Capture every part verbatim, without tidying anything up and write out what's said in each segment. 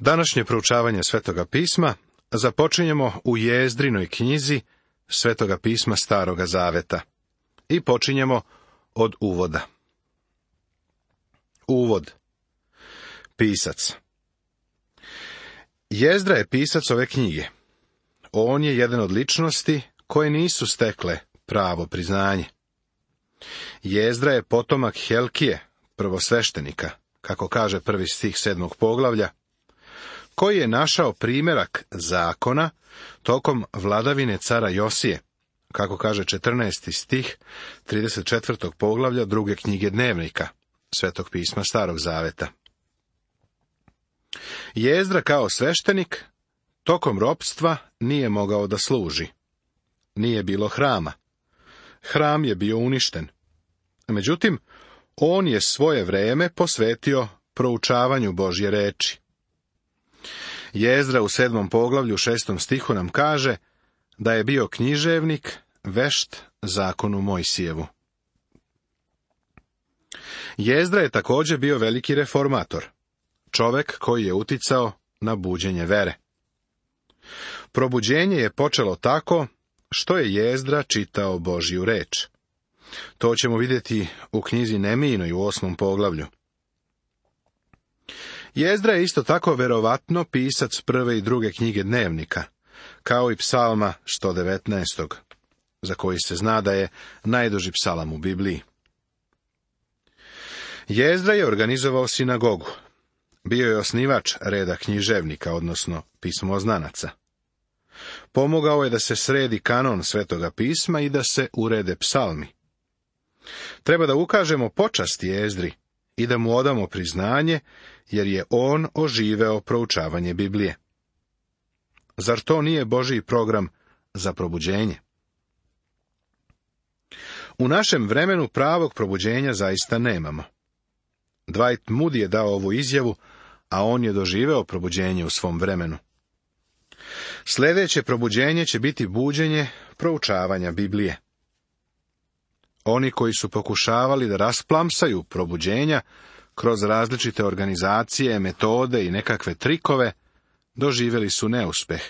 Današnje proučavanje Svetoga pisma započinjemo u Jezdrinoj knjizi Svetoga pisma Staroga zaveta i počinjemo od uvoda. Uvod. Pisac. Jezdra je pisac ove knjige. On je jedan od ličnosti koje nisu stekle pravo priznanje. Jezdra je potomak Helkije, prvosveštenika, kako kaže prvi stih sedmog poglavlja, koji je našao primjerak zakona tokom vladavine cara Josije, kako kaže četrnaesti stih trideset četvrtog poglavlja druge knjige Dnevnika Svetog pisma Starog zaveta. Jezdra kao sveštenik tokom ropstva nije mogao da služi. Nije bilo hrama. Hram je bio uništen. Međutim, on je svoje vreme posvetio proučavanju Božje reči. Jezdra u sedmom poglavlju šestom stihu nam kaže da je bio književnik, vešt zakonu Mojsijevu. Jezdra je također bio veliki reformator, čovek koji je uticao na buđenje vere. Probuđenje je počelo tako što je Jezdra čitao Božju reč. To ćemo vidjeti u knjizi Nemijinoj u osmom poglavlju. Jezdra je isto tako verovatno pisac prve i druge knjige Dnevnika, kao i psalma sto devetnaestog, za koji se zna da je najduži psalam u Bibliji. Jezdra je organizovao sinagogu. Bio je osnivač reda književnika, odnosno pismoznanaca. Pomogao je da se sredi kanon Svetoga pisma i da se urede psalmi. Treba da ukažemo počast Jezdri i da mu odamo priznanje, jer je on oživeo proučavanje Biblije. Zar to nije Božji program za probuđenje? U našem vremenu pravog probuđenja zaista nemamo. Dwight Moody je dao ovu izjavu, a on je doživeo probuđenje u svom vremenu. Sljedeće probuđenje će biti buđenje proučavanja Biblije. Oni koji su pokušavali da rasplamsaju probuđenja kroz različite organizacije, metode i nekakve trikove, doživjeli su neuspeh.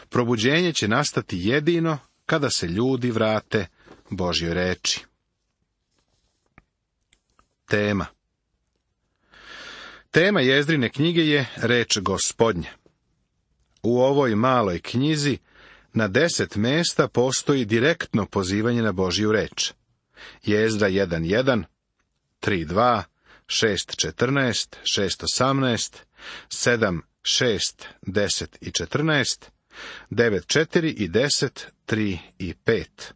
Probuđenje će nastati jedino kada se ljudi vrate Božjoj reči. Tema. Tema Jezdrine knjige je reč Gospodnja. U ovoj maloj knjizi na deset mesta postoji direktno pozivanje na Božju reč. Jezdra jedan jedan, tri dva, šest četrnaest, šest osamnaest, sedam šest, deset i četrnaest, devet četiri i deset, tri i pet.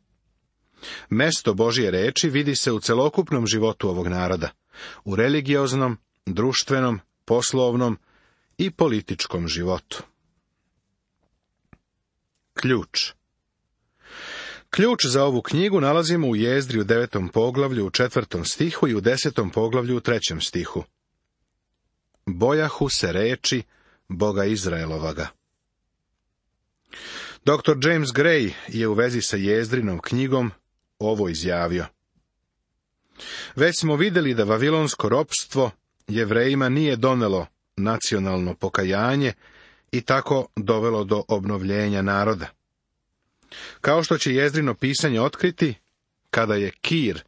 Mesto Božje reči vidi se u celokupnom životu ovog naroda, u religioznom, društvenom, poslovnom i političkom životu. Ključ. Ključ za ovu knjigu nalazimo u Jezdri u devetom poglavlju u četvrtom stihu i u desetom poglavlju u trećem stihu. Bojahu se reči Boga Izraelovaga. doktor James Gray je u vezi sa Jezdrinom knjigom ovo izjavio. Već smo vidjeli da vavilonsko ropstvo Jevrejima nije donelo nacionalno pokajanje i tako dovelo do obnovljenja naroda. Kao što će Jezdrino pisanje otkriti, kada je Kir,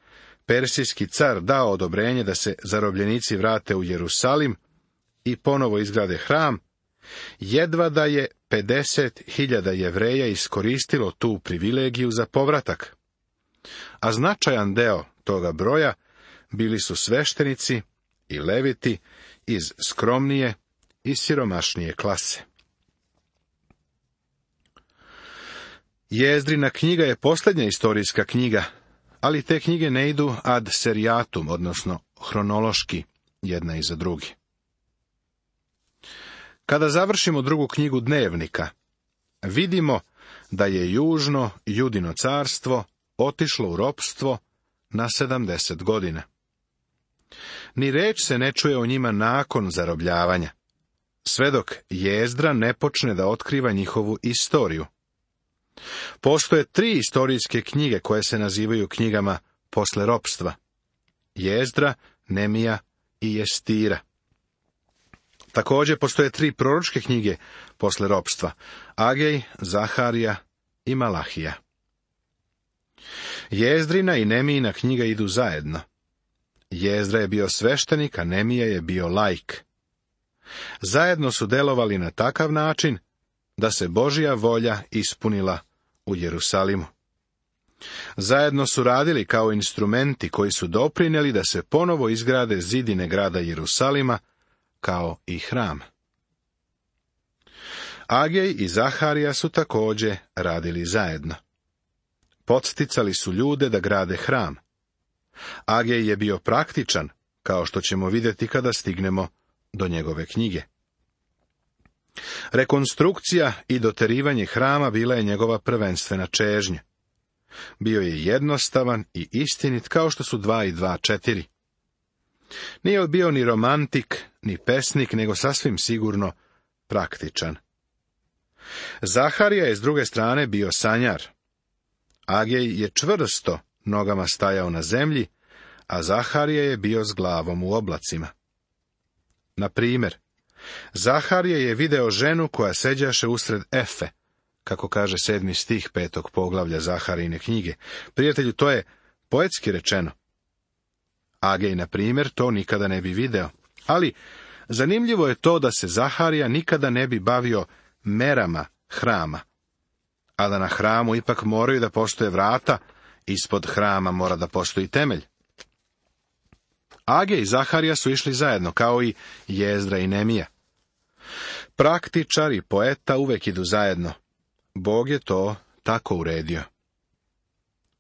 persijski car, dao odobrenje da se zarobljenici vrate u Jerusalim i ponovo izgrade hram, jedva da je pedeset hiljada Jevreja iskoristilo tu privilegiju za povratak. A značajan deo toga broja bili su sveštenici i leviti iz skromnije i siromašnije klase. Jezdrina knjiga je posljednja istorijska knjiga, ali te knjige ne idu ad seriatum, odnosno hronološki, jedna iza druge. Kada završimo drugu knjigu Dnevnika, vidimo da je južno Judino carstvo otišlo u ropstvo na sedamdeset godina. Ni reč se ne čuje o njima nakon zarobljavanja, sve dok Jezdra ne počne da otkriva njihovu istoriju. Postoje tri istorijske knjige koje se nazivaju knjigama posle ropstva: Jezdra, Nemija i Jestira. Također postoje tri proročke knjige posle ropstva: Agej, Zaharija i Malahija. Jezdrina i Nemijina knjiga idu zajedno. Jezdra je bio sveštenik, a Nemija je bio laik. Zajedno su delovali na takav način da se Božja volja ispunila u Jerusalimu. Zajedno su radili kao instrumenti koji su doprinijeli da se ponovo izgrade zidine grada Jerusalima, kao i hram. Agej i Zaharija su također radili zajedno. Podsticali su ljude da grade hram. Agej je bio praktičan, kao što ćemo vidjeti kada stignemo do njegove knjige. Rekonstrukcija i doterivanje hrama bila je njegova prvenstvena čežnja. Bio je jednostavan i istinit kao što su dva i dva četiri. Nije bio ni romantik, ni pesnik, nego sasvim sigurno praktičan. Zaharija je s druge strane bio sanjar. Agej je čvrsto nogama stajao na zemlji, a Zaharija je bio s glavom u oblacima. Na primjer, Zaharija je video ženu koja seđaše usred efe, kako kaže sedmi stih petog poglavlja Zaharijine knjige. Prijatelju, to je poetski rečeno. Agej, na primjer, to nikada ne bi video. Ali zanimljivo je to da se Zaharija nikada ne bi bavio merama hrama, a da na hramu ipak moraju da postoje vrata, ispod hrama mora da postoji temelj. Agej i Zaharija su išli zajedno, kao i Jezdra i Nemija. Praktičar i poeta uvek idu zajedno. Bog je to tako uredio.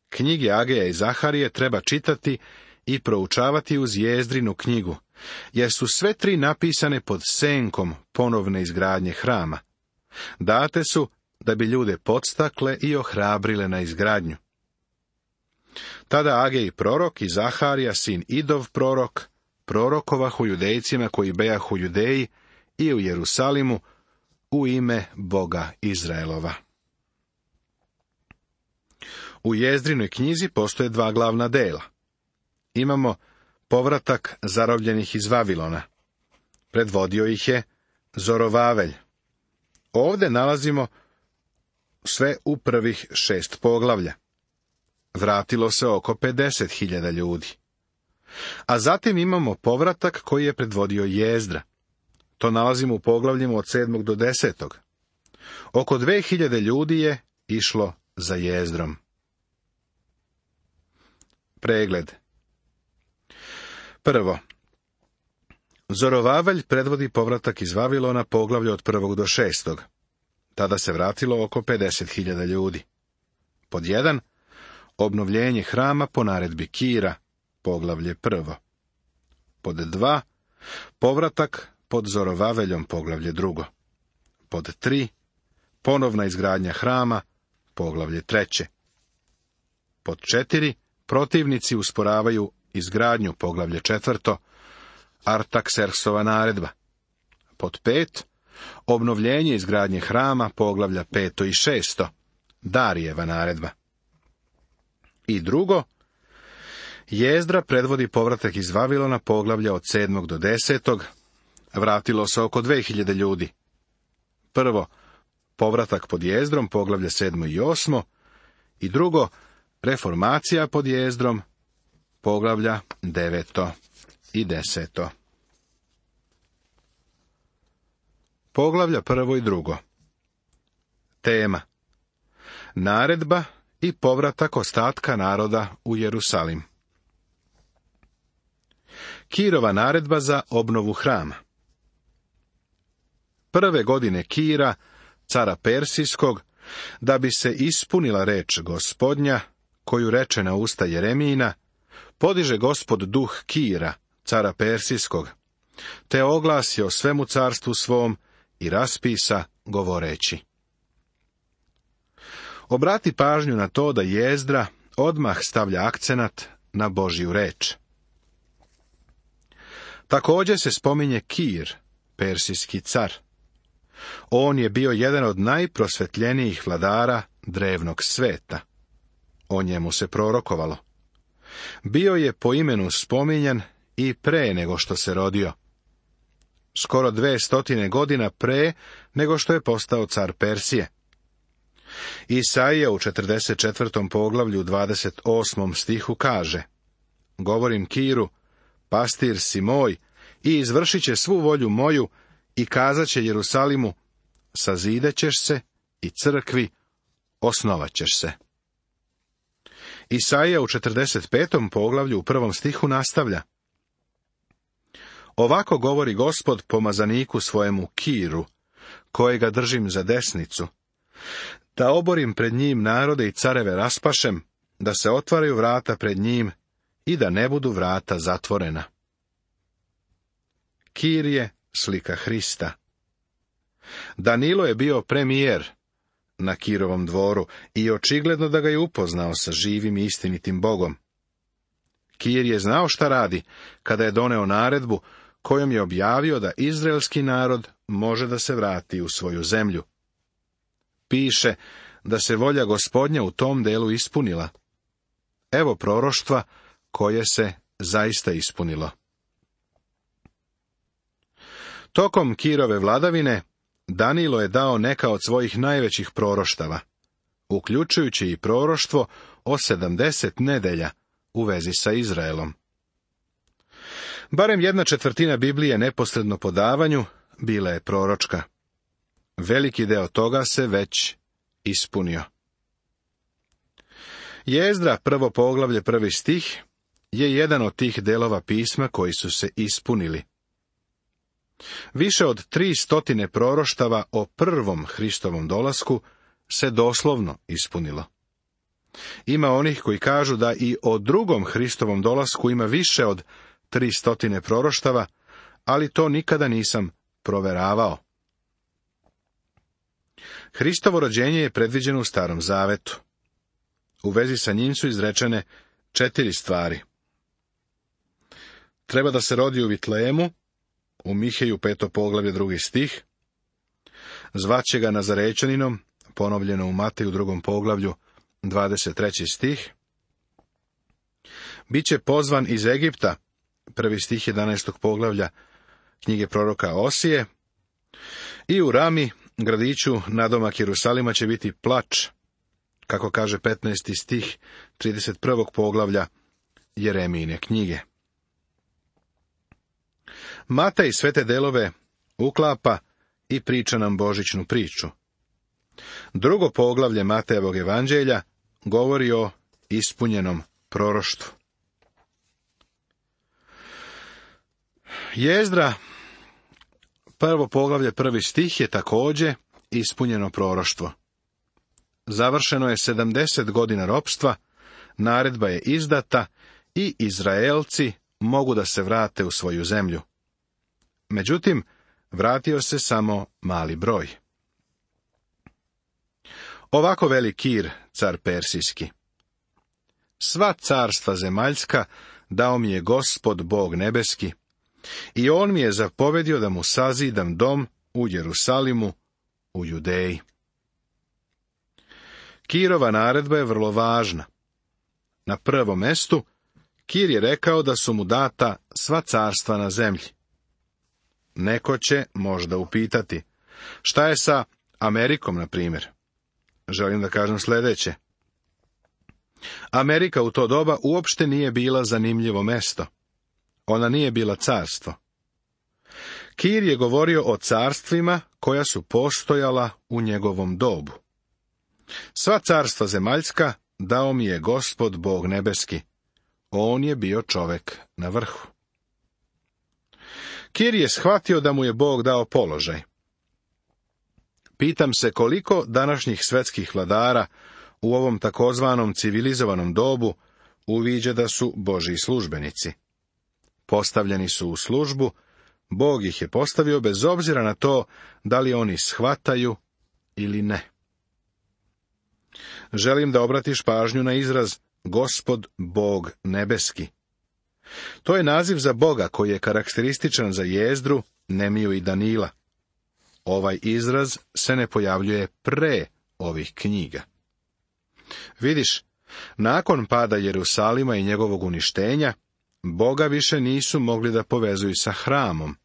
Knjige Ageja i Zaharije treba čitati i proučavati uz Jezdrinu knjigu, jer su sve tri napisane pod senkom ponovne izgradnje hrama. Date su da bi ljude podstakle i ohrabrile na izgradnju. Tada Agej prorok i Zaharija, sin Idov prorok, prorokovahu judejcima koji bejahu Judeji i u Jerusalimu u ime Boga Izraelova. U Jezdrinoj knjizi postoje dva glavna dela. Imamo povratak zarobljenih iz Vavilona. Predvodio ih je Zorovavelj. Ovdje nalazimo sve u prvih šest poglavlja. Vratilo se oko pedeset hiljada ljudi. A zatim imamo povratak koji je predvodio Jezdra. To nalazimo u poglavljima od sedmog do desetog. Oko dve hiljade ljudi je išlo za Jezdrom. Pregled. Prvo. Zorovavelj predvodi povratak iz Vavilona, poglavlje od prvog do šestog. Tada se vratilo oko pedeset hiljada ljudi. Pod jedan. Obnovljenje hrama po naredbi Kira, poglavlje prvo. Pod dva. Povratak pod Zorovaveljom, poglavlje drugo. Pod tri. Ponovna izgradnja hrama, poglavlje treće. Pod četiri. Protivnici usporavaju izgradnju, poglavlje četvrto. Artaksersova naredba. Pod pet. Obnovljenje izgradnje hrama, poglavlja peto i šesto. Darijeva naredba. I drugo, Jezdra predvodi povratak iz Vavilona, poglavlja od sedmog do desetog. Vratilo se oko dve hiljade ljudi. Prvo, povratak pod Jezdrom, poglavlje sedmo i osmo. I drugo, reformacija pod Jezdrom, poglavlja deveto i deseto. Poglavlja prvo i drugo. Tema. Naredba i povratak ostatka naroda u Jerusalim. Kirova naredba za obnovu hrama. Prve godine Kira, cara Persijskog, da bi se ispunila reč Gospodnja, koju reče na usta Jeremijina, podiže Gospod duh Kira, cara Persijskog, te oglasi o svemu carstvu svom i raspisa govoreći. Obrati pažnju na to da Jezdra odmah stavlja akcenat na Božju reč. Također se spominje Kir, persijski car. On je bio jedan od najprosvetljenijih vladara drevnog sveta. O njemu se prorokovalo. Bio je po imenu spominjan i pre nego što se rodio. skoro dve stotine godina pre nego što je postao car Persije. Isaija u četrdeset četvrtom poglavlju dvadeset osmom stihu kaže: Govorim Kiru, pastir si moj, i izvršit će svu volju moju, i kazat će Jerusalimu, sazidat ćeš se, i crkvi osnovat ćeš se. Isaija u četrdeset petom poglavlju u prvom stihu nastavlja: Ovako govori Gospod pomazaniku svojemu Kiru, kojega držim za desnicu, da oborim pred njim narode i careve raspašem, da se otvaraju vrata pred njim i da ne budu vrata zatvorena. Kir je slika Hrista. Danilo je bio premijer na Kirovom dvoru i očigledno da ga je upoznao sa živim i istinitim Bogom. Kir je znao šta radi kada je doneo naredbu kojom je objavio da izraelski narod može da se vrati u svoju zemlju. Piše da se volja Gospodnja u tom delu ispunila. Evo proroštva koje se zaista ispunilo. Tokom Kirove vladavine Danilo je dao neka od svojih najvećih proroštava, uključujući i proroštvo o sedamdeset nedelja u vezi sa Izraelom. Barem jedna četvrtina Biblije neposredno po davanju bila je proročka. Veliki deo toga se već ispunio. Jezdra, prvo poglavlje, prvi stih, je jedan od tih delova pisma koji su se ispunili. Više od tri stotine proroštava o prvom Hristovom dolasku se doslovno ispunilo. Ima onih koji kažu da i o drugom Hristovom dolasku ima više od tri stotine proroštava, ali to nikada nisam proveravao. Hristovo rođenje je predviđeno u Starom Zavetu. U vezi sa njim su izrečene četiri stvari. Treba da se rodi u Vitlejemu, u Miheju peto poglavlje drugi stih, zvaće ga Nazarečaninom, ponovljeno u Mateju drugom poglavlju dvadeset treći stih, biće pozvan iz Egipta, prvi stih jedanaestog poglavlja knjige proroka Osije, i u Rami, gradiću nadomak Jerusalima, će biti plač, kako kaže petnaesti stih trideset prvog poglavlja Jeremijine knjige. Matej sve te delove uklapa i priča nam božićnu priču. Drugo poglavlje Matejevog evanđelja govori o ispunjenom proroštvu. Jezdra, prvo poglavlje, prvi stih, je također ispunjeno proroštvo. Završeno je sedamdeset godina ropstva, naredba je izdata i Izraelci mogu da se vrate u svoju zemlju. Međutim, vratio se samo mali broj. Ovako veli Kir, car Persijski: Sva carstva zemaljska dao mi je Gospod Bog nebeski, i on mi je zapovedio da mu sazidam dom u Jerusalimu, u Judeji. Kirova naredba je vrlo važna. Na prvom mestu, Kir je rekao da su mu data sva carstva na zemlji. Neko će možda upitati: šta je sa Amerikom, na primjer? Želim da kažem sljedeće. Amerika u to doba uopšte nije bila zanimljivo mesto. Ona nije bila carstvo. Kir je govorio o carstvima koja su postojala u njegovom dobu. Sva carstva zemaljska dao mi je Gospod Bog nebeski. On je bio čovek na vrhu. Kir je shvatio da mu je Bog dao položaj. Pitam se koliko današnjih svetskih vladara u ovom takozvanom civilizovanom dobu uviđa da su Božji službenici. Postavljeni su u službu, Bog ih je postavio bez obzira na to da li oni shvataju ili ne. Želim da obratiš pažnju na izraz Gospod Bog nebeski. To je naziv za Boga koji je karakterističan za Jezdru, Nemiju i Danila. Ovaj izraz se ne pojavljuje pre ovih knjiga. Vidiš, nakon pada Jerusalima i njegovog uništenja, Boga više nisu mogli da povezuju sa hramom.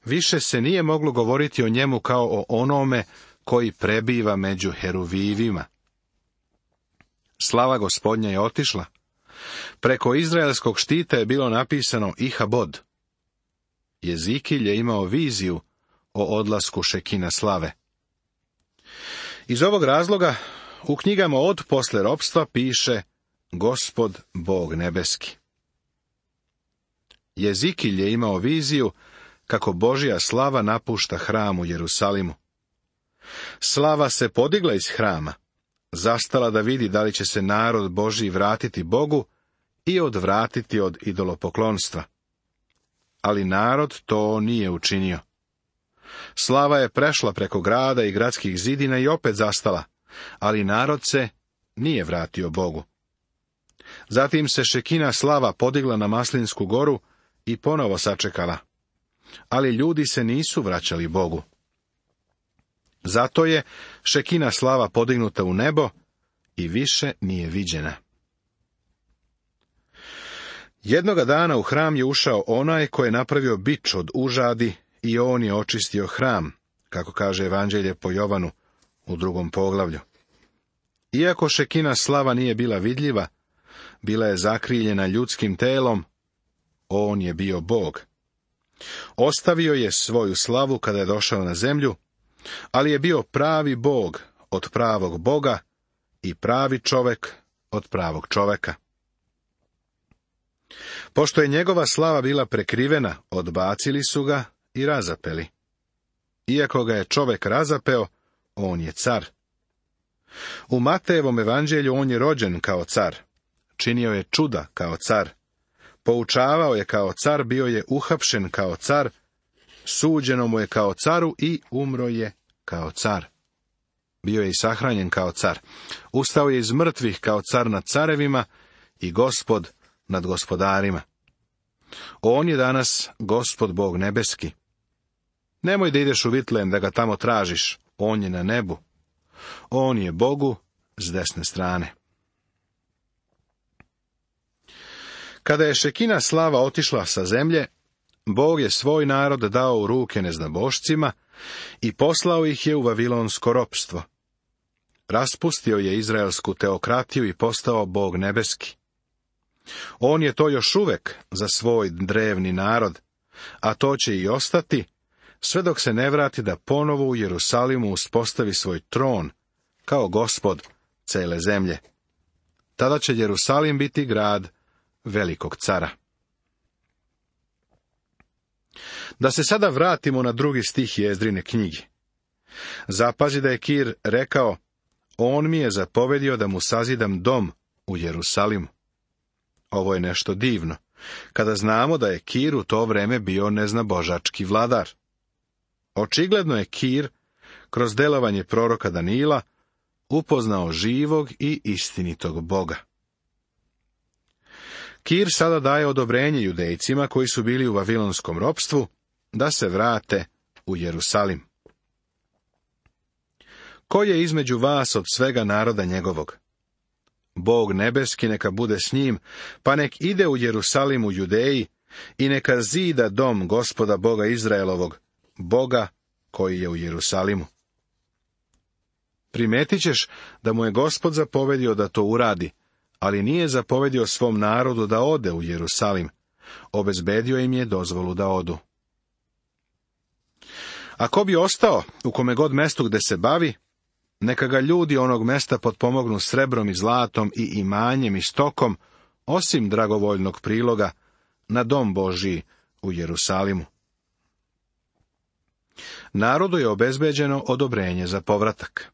više se nije moglo govoriti o njemu kao o onome koji prebiva među heruvivima. Slava Gospodnja je otišla. Preko izraelskog štita je bilo napisano Ihabod. Jezikilj je imao viziju o odlasku Šekina slave. Iz ovog razloga u knjigama od posle ropstva piše Gospod Bog nebeski. Jezikilj je imao viziju kako Božja slava napušta hram u Jerusalimu. Slava se podigla iz hrama, zastala da vidi da li će se narod Božji vratiti Bogu i odvratiti od idolopoklonstva. Ali narod to nije učinio. Slava je prešla preko grada i gradskih zidina i opet zastala, ali narod se nije vratio Bogu. Zatim se Šekina slava podigla na Maslinsku goru i ponovo sačekala, ali ljudi se nisu vraćali Bogu. Zato je Šekina slava podignuta u nebo i više nije viđena. Jednoga dana u hram je ušao onaj ko je napravio bič od užadi i on je očistio hram, kako kaže Evanđelje po Jovanu u drugom poglavlju. Iako Šekina slava nije bila vidljiva, bila je zakriljena ljudskim telom, on je bio Bog. Ostavio je svoju slavu kada je došao na zemlju, ali je bio pravi Bog od pravog Boga i pravi čovek od pravog čoveka. Pošto je njegova slava bila prekrivena, odbacili su ga i razapeli. Iako ga je čovek razapeo, on je car. U Matejevom evanđelju on je rođen kao car, činio je čuda kao car, poučavao je kao car, bio je uhapšen kao car, suđeno mu je kao caru i umro je kao car. Bio je i sahranjen kao car. Ustao je iz mrtvih kao car nad carevima i gospod nad gospodarima. On je danas Gospod Bog nebeski. Nemoj da ideš u Vitlejem da ga tamo tražiš, on je na nebu. On je Bogu s desne strane. Kada je Šekina slava otišla sa zemlje, Bog je svoj narod dao u ruke neznabošcima i poslao ih je u vavilonsko ropstvo. Raspustio je izraelsku teokratiju i postao Bog nebeski. On je to još uvek za svoj drevni narod, a to će i ostati, sve dok se ne vrati da ponovo u Jerusalimu uspostavi svoj tron, kao gospod cele zemlje. Tada će Jerusalim biti grad velikog cara. Da se sada vratimo na drugi stih Jezdrine knjige. Zapazi da je Kir rekao, on mi je zapovedio da mu sazidam dom u Jerusalimu. Ovo je nešto divno, kada znamo da je Kir u to vreme bio neznabožački vladar. Očigledno je Kir, kroz delovanje proroka Danila, upoznao živog i istinitog Boga. Kir sada daje odobrenje Judejcima koji su bili u vavilonskom ropstvu da se vrate u Jerusalim. Ko je između vas od svega naroda njegovog? Bog nebeski neka bude s njim, pa nek ide u Jerusalim u Judeji i neka zida dom Gospoda Boga Izraelovog, Boga koji je u Jerusalimu. Primetit ćeš da mu je Gospod zapovedio da to uradi, ali nije zapovedio svom narodu da ode u Jerusalim. Obezbedio im je dozvolu da odu. Ako bi ostao u kome god mestu gde se bavi, neka ga ljudi onog mesta potpomognu srebrom i zlatom i imanjem i stokom, osim dragovoljnog priloga na dom Božiji u Jerusalimu. Narodu je obezbeđeno odobrenje za povratak.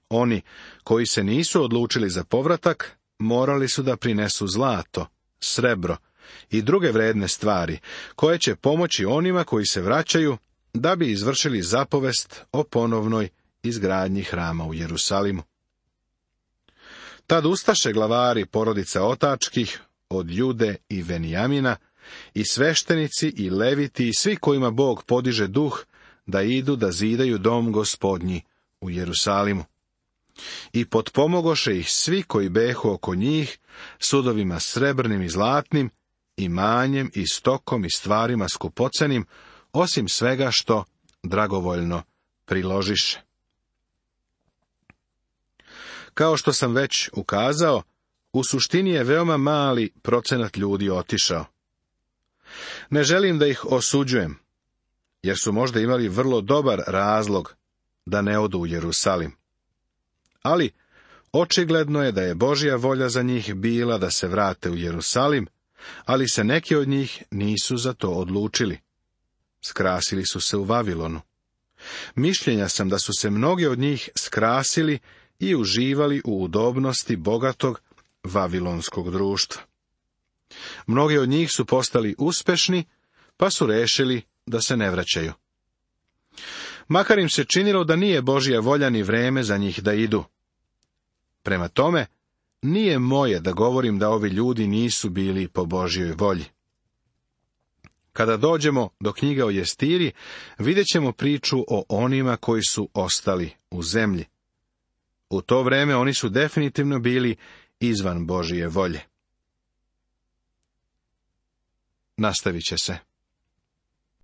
Oni koji se nisu odlučili za povratak, morali su da prinesu zlato, srebro i druge vredne stvari, koje će pomoći onima koji se vraćaju da bi izvršili zapovest o ponovnoj izgradnji hrama u Jerusalimu. Tad ustaše glavari porodica otačkih, od Jude i Venijamina, i sveštenici i leviti i svi kojima Bog podiže duh, da idu da zidaju dom Gospodnji u Jerusalimu. I potpomogoše ih svi koji behu oko njih, sudovima srebrnim i zlatnim, imanjem i stokom i stvarima skupocenim, osim svega što dragovoljno priložiše. Kao što sam već ukazao, u suštini je veoma mali procenat ljudi otišao. Ne želim da ih osuđujem, jer su možda imali vrlo dobar razlog da ne odu u Jerusalim. Ali očigledno je da je Božja volja za njih bila da se vrate u Jerusalim, ali se neki od njih nisu za to odlučili. Skrasili su se u Vavilonu. Mišljenja sam da su se mnogi od njih skrasili i uživali u udobnosti bogatog vavilonskog društva. Mnogi od njih su postali uspešni, pa su rešili da se ne vraćaju. Makar im se činilo da nije Božja volja ni vreme za njih da idu. Prema tome, nije moje da govorim da ovi ljudi nisu bili po Božjoj volji. Kada dođemo do knjige o Jestiri, vidjet ćemo priču o onima koji su ostali u zemlji. U to vreme oni su definitivno bili izvan Božje volje. Nastavit će se.